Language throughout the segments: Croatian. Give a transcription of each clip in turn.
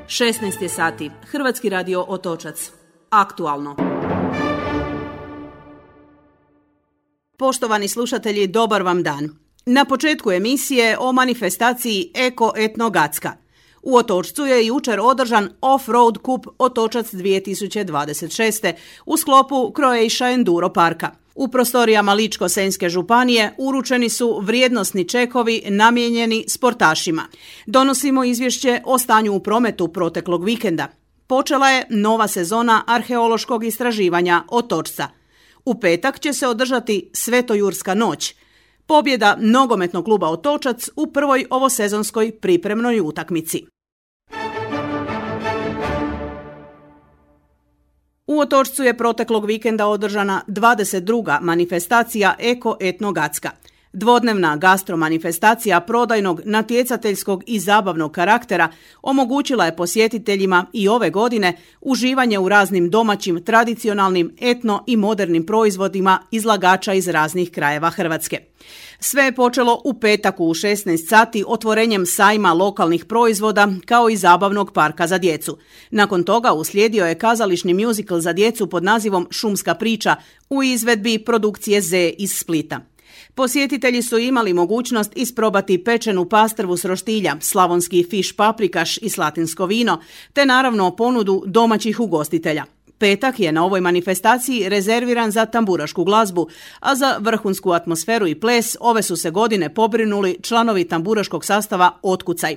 16 je sati. Hrvatski radio Otočac. Aktualno. Poštovani slušatelji, dobar vam dan. Na početku emisije o manifestaciji Eko Etno Gacka. U Otočcu je jučer održan Off-Road Cup Otočac 2026. u sklopu Croatia Enduro parka. U prostorijama Ličko-senjske županije uručeni su vrijednosni čekovi namijenjeni sportašima. Donosimo izvješće o stanju u prometu proteklog vikenda. Počela je nova sezona arheološkog istraživanja Otočca. U petak će se održati Svetojurska noć. Pobjeda nogometnog kluba Otočac u prvoj ovosezonskoj pripremnoj utakmici. U Otočcu je proteklog vikenda održana 22. manifestacija Eko Etno Gacka. Dvodnevna gastromanifestacija prodajnog, natjecateljskog i zabavnog karaktera omogućila je posjetiteljima i ove godine uživanje u raznim domaćim, tradicionalnim, etno i modernim proizvodima izlagača iz raznih krajeva Hrvatske. Sve je počelo u petak u 16 sati otvorenjem sajma lokalnih proizvoda kao i zabavnog parka za djecu. Nakon toga uslijedio je kazališni mjuzikl za djecu pod nazivom Šumska priča u izvedbi produkcije Z iz Splita. Posjetitelji su imali mogućnost isprobati pečenu pastrvu s roštilja, slavonski fiš paprikaš i slatinsko vino, te naravno ponudu domaćih ugostitelja. Petak je na ovoj manifestaciji rezerviran za tamburašku glazbu, a za vrhunsku atmosferu i ples ove su se godine pobrinuli članovi tamburaškog sastava Otkucaj.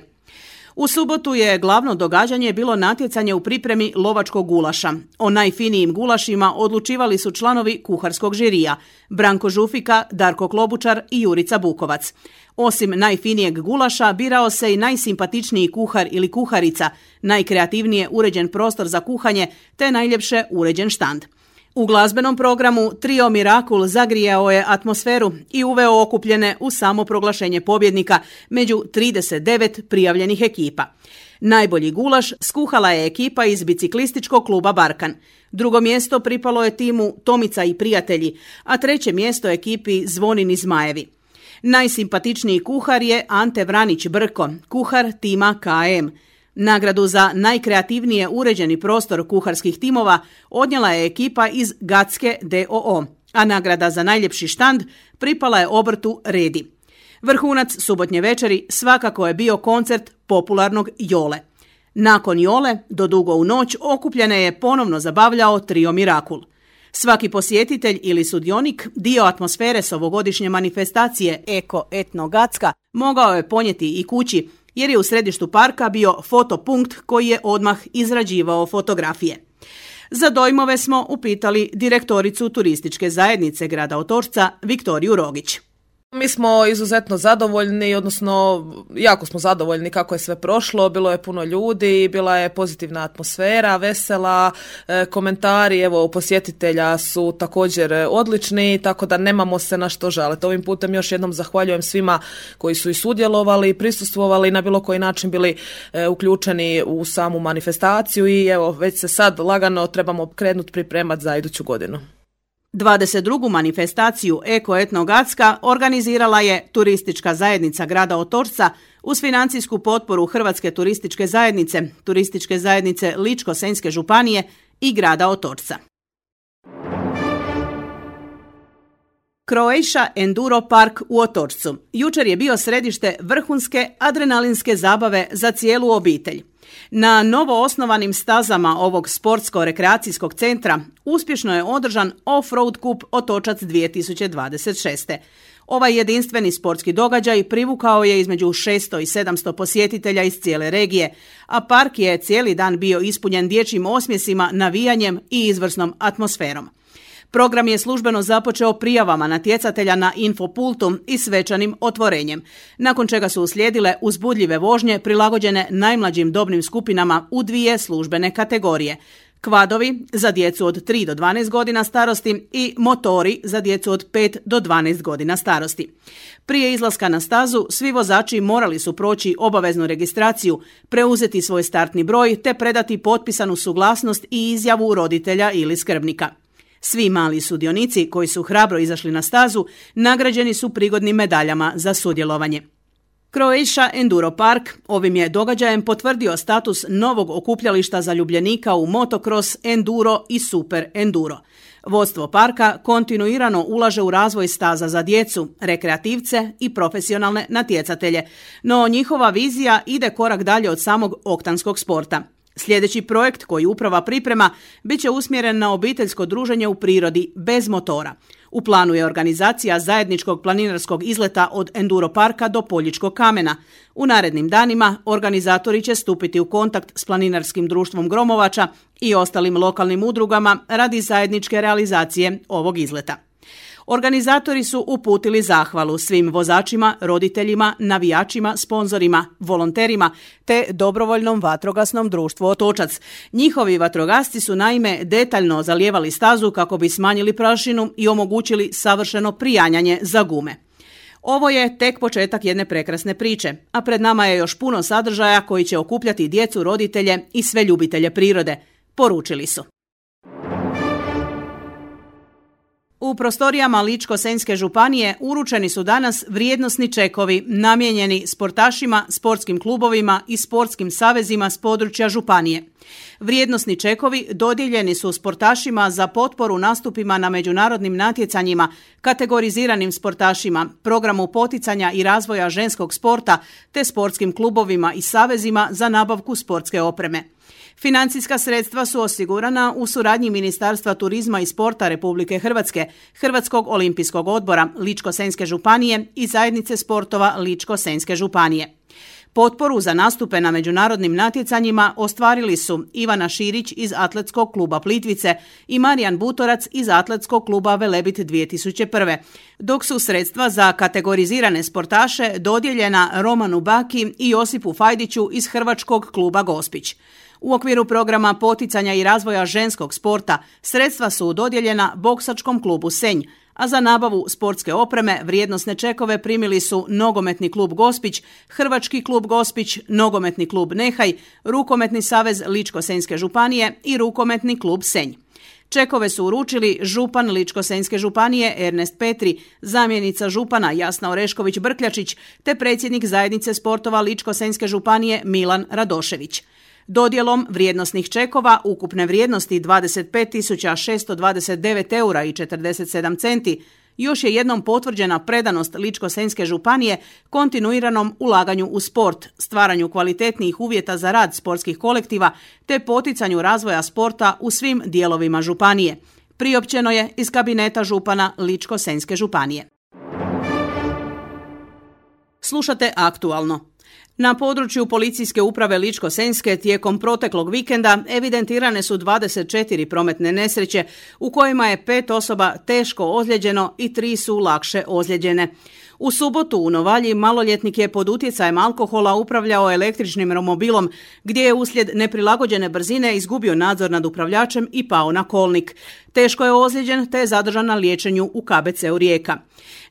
U subotu je glavno događanje bilo natjecanje u pripremi lovačkog gulaša. O najfinijim gulašima odlučivali su članovi kuharskog žirija Branko Žufika, Darko Klobučar i Jurica Bukovac. Osim najfinijeg gulaša birao se i najsimpatičniji kuhar ili kuharica, najkreativnije uređen prostor za kuhanje te najljepše uređen štand. U glazbenom programu Trio Mirakul zagrijao je atmosferu i uveo okupljene u samo proglašenje pobjednika među 39 prijavljenih ekipa. Najbolji gulaš skuhala je ekipa iz biciklističkog kluba Barkan. Drugo mjesto pripalo je timu Tomica i prijatelji, a treće mjesto ekipi Zvonin i Zmajevi. Najsimpatičniji kuhar je Ante Vranić Brko, kuhar tima KM. Nagradu za najkreativnije uređeni prostor kuharskih timova odnijela je ekipa iz Gacke DOO, a nagrada za najljepši štand pripala je obrtu Redi. Vrhunac subotnje večeri svakako je bio koncert popularnog Jole. Nakon Jole, do dugo u noć, okupljene je ponovno zabavljao Trio Mirakul. Svaki posjetitelj ili sudionik dio atmosfere s ovogodišnje manifestacije Eko Etno Gacka mogao je ponijeti i kući, jer je u središtu parka bio fotopunkt koji je odmah izrađivao fotografije. Za dojmove smo upitali direktoricu turističke zajednice grada Otočca Viktoriju Rogić. Mi smo izuzetno zadovoljni, odnosno jako smo zadovoljni kako je sve prošlo, bilo je puno ljudi, bila je pozitivna atmosfera, vesela, komentari posjetitelja su također odlični, tako da nemamo se na što žaliti. Ovim putem još jednom zahvaljujem svima koji su i sudjelovali, prisustvovali, na bilo koji način bili uključeni u samu manifestaciju i već se sad lagano trebamo krenuti pripremati za iduću godinu. 22. manifestaciju Eko Etno Gacka organizirala je Turistička zajednica grada Otočca uz financijsku potporu Hrvatske turističke zajednice Ličko-senjske županije i grada Otočca. Croatia Enduro park u Otočcu jučer je bio središte vrhunske adrenalinske zabave za cijelu obitelj. Na novo osnovanim stazama ovog sportsko-rekreacijskog centra uspješno je održan Off-Road Cup Otočac 2026. Ovaj jedinstveni sportski događaj privukao je između 600 i 700 posjetitelja iz cijele regije, a park je cijeli dan bio ispunjen dječjim osmjesima, navijanjem i izvrsnom atmosferom. Program je službeno započeo prijavama natjecatelja na infopultu i svečanim otvorenjem, nakon čega su uslijedile uzbudljive vožnje prilagođene najmlađim dobnim skupinama u dvije službene kategorije. Kvadovi za djecu od 3 do 12 godina starosti i motori za djecu od 5 do 12 godina starosti. Prije izlaska na stazu svi vozači morali su proći obaveznu registraciju, preuzeti svoj startni broj te predati potpisanu suglasnost i izjavu roditelja ili skrbnika. Svi mali sudionici koji su hrabro izašli na stazu nagrađeni su prigodnim medaljama za sudjelovanje. Croatia Enduro Park ovim je događajem potvrdio status novog okupljališta zaljubljenika u motocross, enduro i super enduro. Vodstvo parka kontinuirano ulaže u razvoj staza za djecu, rekreativce i profesionalne natjecatelje, no njihova vizija ide korak dalje od samog oktanskog sporta. Sljedeći projekt koji uprava priprema bit će usmjeren na obiteljsko druženje u prirodi bez motora. U planu je organizacija zajedničkog planinarskog izleta od Enduro parka do Poljičkog kamena. U narednim danima organizatori će stupiti u kontakt s planinarskim društvom Gromovača i ostalim lokalnim udrugama radi zajedničke realizacije ovog izleta. Organizatori su uputili zahvalu svim vozačima, roditeljima, navijačima, sponzorima, volonterima te dobrovoljnom vatrogasnom društvu Otočac. Njihovi vatrogasci su naime detaljno zalijevali stazu kako bi smanjili prašinu i omogućili savršeno prijanjanje za gume. Ovo je tek početak jedne prekrasne priče, a pred nama je još puno sadržaja koji će okupljati djecu, roditelje i sve ljubitelje prirode, poručili su. U prostorijama Ličko-senjske županije uručeni su danas vrijednosni čekovi namijenjeni sportašima, sportskim klubovima i sportskim savezima s područja županije. Vrijednosni čekovi dodijeljeni su sportašima za potporu nastupima na međunarodnim natjecanjima, kategoriziranim sportašima, programu poticanja i razvoja ženskog sporta te sportskim klubovima i savezima za nabavku sportske opreme. Financijska sredstva su osigurana u suradnji Ministarstva turizma i sporta Republike Hrvatske, Hrvatskog olimpijskog odbora Ličko-senjske županije i zajednice sportova Ličko-senjske županije. Potporu za nastupe na međunarodnim natjecanjima ostvarili su Ivana Širić iz Atletskog kluba Plitvice i Marijan Butorac iz Atletskog kluba Velebit 2001. Dok su sredstva za kategorizirane sportaše dodijeljena Romanu Baki i Josipu Fajdiću iz Hrvačkog kluba Gospić. U okviru programa poticanja i razvoja ženskog sporta sredstva su dodijeljena Boksačkom klubu Senj, a za nabavu sportske opreme vrijednosne čekove primili su Nogometni klub Gospić, Hrvački klub Gospić, Nogometni klub Nehaj, Rukometni savez Ličko-senjske županije i Rukometni klub Senj. Čekove su uručili župan Ličko-senjske županije Ernest Petri, zamjenica župana Jasna Orešković-Brkljačić te predsjednik zajednice sportova Ličko-senjske županije Milan Radošević. Dodjelom vrijednosnih čekova ukupne vrijednosti 25.629 eura i 47 centi još je jednom potvrđena predanost Ličko-senjske županije kontinuiranom ulaganju u sport, stvaranju kvalitetnijih uvjeta za rad sportskih kolektiva te poticanju razvoja sporta u svim dijelovima županije. Priopćeno je iz kabineta župana Ličko-senjske županije. Slušate Aktualno. Na području policijske uprave Ličko-senjske tijekom proteklog vikenda evidentirane su 24 prometne nesreće u kojima je 5 osoba teško ozlijeđeno i 3 su lakše ozlijeđene. U subotu u Novalji maloljetnik je pod utjecajem alkohola upravljao električnim romobilom gdje je uslijed neprilagođene brzine izgubio nadzor nad upravljačem i pao na kolnik. Teško je ozlijeđen te je zadržan na liječenju u KBC-u Rijeka.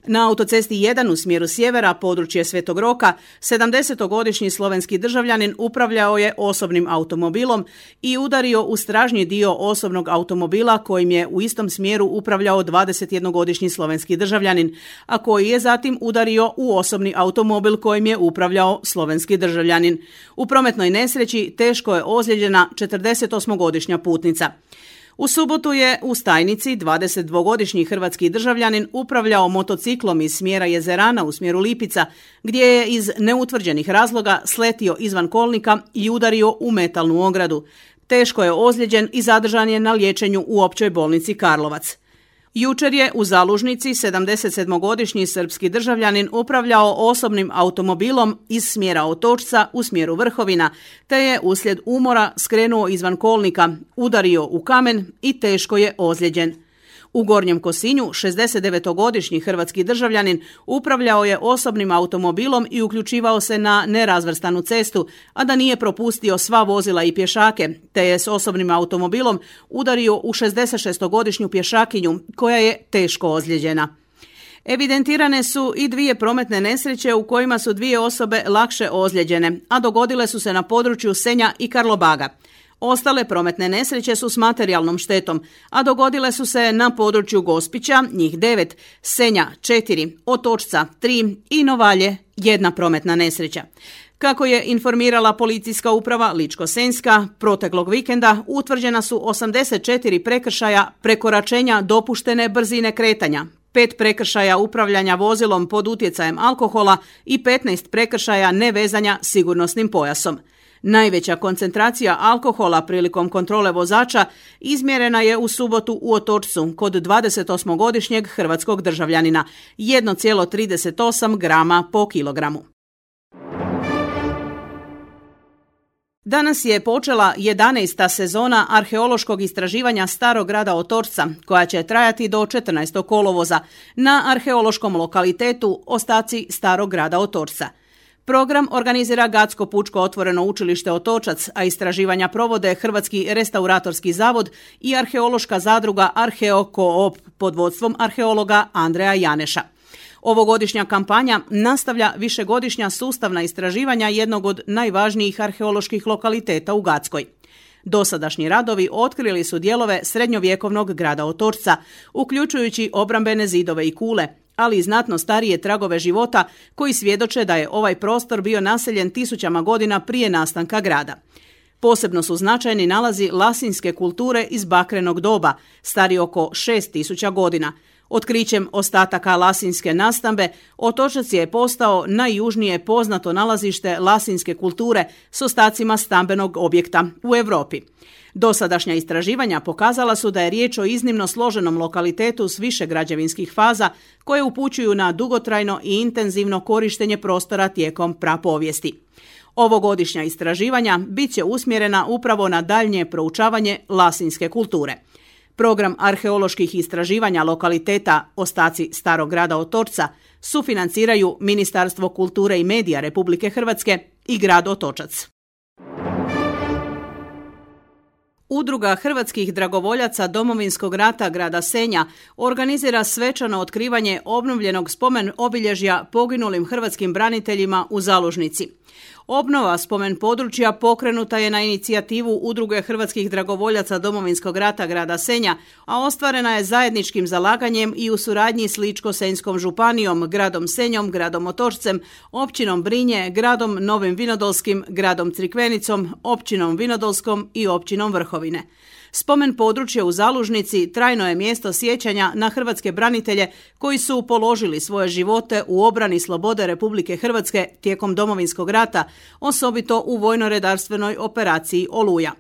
Na autocesti 1 u smjeru sjevera, područje Svetog Roka, 70-godišnji slovenski državljanin upravljao je osobnim automobilom i udario u stražnji dio osobnog automobila kojim je u istom smjeru upravljao 21-godišnji slovenski državljanin, a koji je zatim udario u osobni automobil kojim je upravljao slovenski državljanin. U prometnoj nesreći teško je ozlijeđena 48-godišnja putnica. U subotu je u Stajnici 22-godišnji hrvatski državljanin upravljao motociklom iz smjera Jezerana u smjeru Lipica, gdje je iz neutvrđenih razloga sletio izvan kolnika i udario u metalnu ogradu. Teško je ozlijeđen i zadržan je na liječenju u općoj bolnici Karlovac. Jučer je u Zalužnici 77-godišnji srpski državljanin upravljao osobnim automobilom iz smjera Otočca u smjeru Vrhovina, te je uslijed umora skrenuo izvan kolnika, udario u kamen i teško je ozlijeđen. U Gornjem Kosinju 69-godišnji hrvatski državljanin upravljao je osobnim automobilom i uključivao se na nerazvrstanu cestu, a da nije propustio sva vozila i pješake, te je s osobnim automobilom udario u 66-godišnju pješakinju koja je teško ozlijeđena. Evidentirane su i 2 prometne nesreće u kojima su 2 osobe lakše ozlijeđene, a dogodile su se na području Senja i Karlobaga. Ostale prometne nesreće su s materijalnom štetom, a dogodile su se na području Gospića, njih 9, Senja 4, Otočca 3 i Novalje 1 prometna nesreća. Kako je informirala policijska uprava Ličko-senjska, proteklog vikenda utvrđena su 84 prekršaja prekoračenja dopuštene brzine kretanja, 5 prekršaja upravljanja vozilom pod utjecajem alkohola i 15 prekršaja nevezanja sigurnosnim pojasom. Najveća koncentracija alkohola prilikom kontrole vozača izmjerena je u subotu u Otočcu kod 28-godišnjeg hrvatskog državljanina, 1,38 grama po kilogramu. Danas je počela 11. sezona arheološkog istraživanja Starog grada Otočca, koja će trajati do 14. kolovoza na arheološkom lokalitetu Ostaci Starog grada Otočca. Program organizira Gatsko pučko otvoreno učilište Otočac, a istraživanja provode Hrvatski restauratorski zavod i arheološka zadruga Arheo Coop pod vodstvom arheologa Andreja Janeša. Ovogodišnja kampanja nastavlja višegodišnja sustavna istraživanja jednog od najvažnijih arheoloških lokaliteta u Gatskoj. Dosadašnji radovi otkrili su dijelove srednjovjekovnog grada Otočca, uključujući obrambene zidove i kule, ali i znatno starije tragove života koji svjedoče da je ovaj prostor bio naseljen tisućama godina prije nastanka grada. Posebno su značajni nalazi lasinske kulture iz bakrenog doba, stari oko 6000 godina. Otkrićem ostataka lasinske nastambe, Otočac je postao najjužnije poznato nalazište lasinske kulture s ostacima stambenog objekta u Europi. Dosadašnja istraživanja pokazala su da je riječ o iznimno složenom lokalitetu s više građevinskih faza koje upućuju na dugotrajno i intenzivno korištenje prostora tijekom prapovijesti. Ovogodišnja istraživanja bit će usmjerena upravo na daljnje proučavanje lasinske kulture. Program arheoloških istraživanja lokaliteta Ostaci Starog grada Otočca sufinanciraju Ministarstvo kulture i medija Republike Hrvatske i grad Otočac. Udruga hrvatskih dragovoljaca Domovinskog rata grada Senja organizira svečano otkrivanje obnovljenog spomen obilježja poginulim hrvatskim braniteljima u Zalužnici. Obnova spomen područja pokrenuta je na inicijativu Udruge hrvatskih dragovoljaca Domovinskog rata grada Senja, a ostvarena je zajedničkim zalaganjem i u suradnji s Ličko-senjskom županijom, gradom Senjom, gradom Otočcem, općinom Brinje, gradom Novim Vinodolskim, gradom Crikvenicom, općinom Vinodolskom i općinom Vrhovine. Spomen područje u Zalužnici trajno je mjesto sjećanja na hrvatske branitelje koji su položili svoje živote u obrani slobode Republike Hrvatske tijekom Domovinskog rata, osobito u vojno-redarstvenoj operaciji Oluja.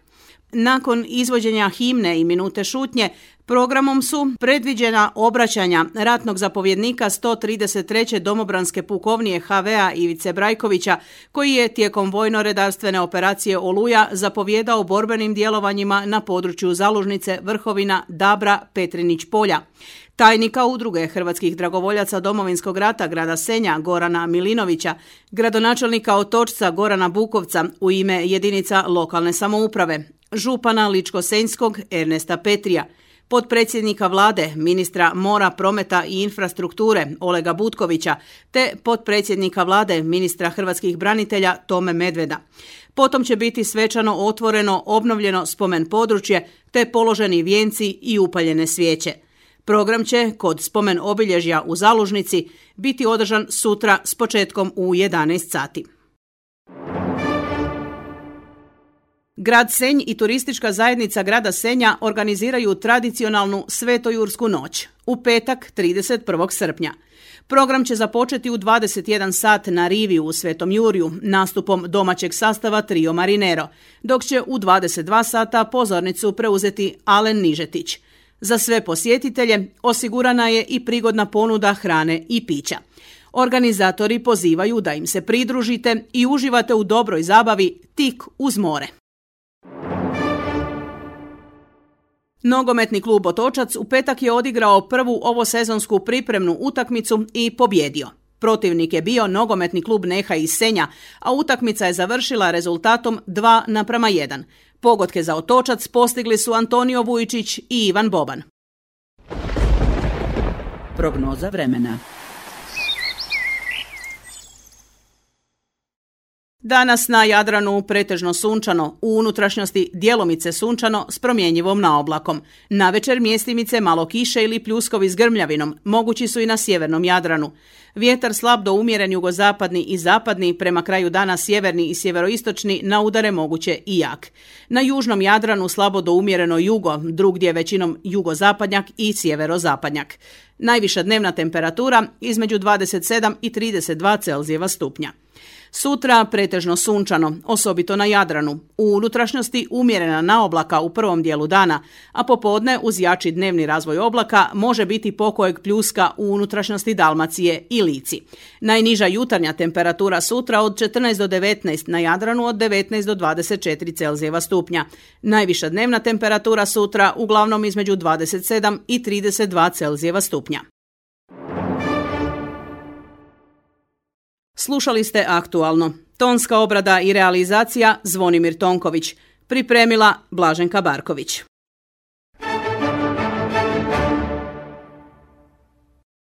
Nakon izvođenja himne i minute šutnje, programom su predviđena obraćanja ratnog zapovjednika 133. domobranske pukovnije HV-a Ivice Brajkovića, koji je tijekom vojno-redarstvene operacije Oluja zapovjedao borbenim djelovanjima na području Zalužnice, Vrhovina, Dabra, Petrinić polja. Tajnika Udruge hrvatskih dragovoljaca Domovinskog rata grada Senja Gorana Milinovića, gradonačelnika Otočca Gorana Bukovca u ime jedinica lokalne samouprave, župana Ličko-senjskog Ernesta Petrija, potpredsjednika vlade, ministra mora, prometa i infrastrukture Olega Butkovića, te potpredsjednika vlade, ministra hrvatskih branitelja Tome Medveda. Potom će biti svečano otvoreno obnovljeno spomen područje, te položeni vijenci i upaljene svijeće. Program će kod spomen obilježja u Zalužnici biti održan sutra s početkom u 11 sati. Grad Senj i turistička zajednica grada Senja organiziraju tradicionalnu Svetojursku noć u petak 31. srpnja. Program će započeti u 21 sat na rivi u Svetom Jurju nastupom domaćeg sastava Trio Marinero, dok će u 22 sata pozornicu preuzeti Alen Nižetić. Za sve posjetitelje osigurana je i prigodna ponuda hrane i pića. Organizatori pozivaju da im se pridružite i uživate u dobroj zabavi tik uz more. Nogometni klub Otočac u petak je odigrao prvu ovosezonsku pripremnu utakmicu i pobjedio. Protivnik je bio nogometni klub Neha iz Senja, a utakmica je završila rezultatom 2:1. Pogodke za Otočac postigli su Antonio Vujčić i Ivan Boban. Prognoza vremena. Danas na Jadranu pretežno sunčano, u unutrašnjosti djelomice sunčano s promjenjivom naoblakom. Navečer mjestimice malo kiše ili pljuskovi s grmljavinom, mogući su i na sjevernom Jadranu. Vjetar slab do umjeren jugozapadni i zapadni, prema kraju dana sjeverni i sjeveroistočni, na udare moguće i jak. Na južnom Jadranu slabo do umjereno jugo, drugdje većinom jugozapadnjak i sjeverozapadnjak. Najviša dnevna temperatura između 27 i 32 Celzijeva stupnja. Sutra pretežno sunčano, osobito na Jadranu. U unutrašnjosti umjerena naoblaka u prvom dijelu dana, a popodne uz jači dnevni razvoj oblaka može biti pokojeg pljuska u unutrašnjosti Dalmacije i Lici. Najniža jutarnja temperatura sutra od 14 do 19, na Jadranu od 19 do 24 Celzijeva stupnja. Najviša dnevna temperatura sutra uglavnom između 27 i 32 Celzijeva stupnja. Slušali ste Aktualno. Tonska obrada i realizacija Zvonimir Tonković. Pripremila Blaženka Barković.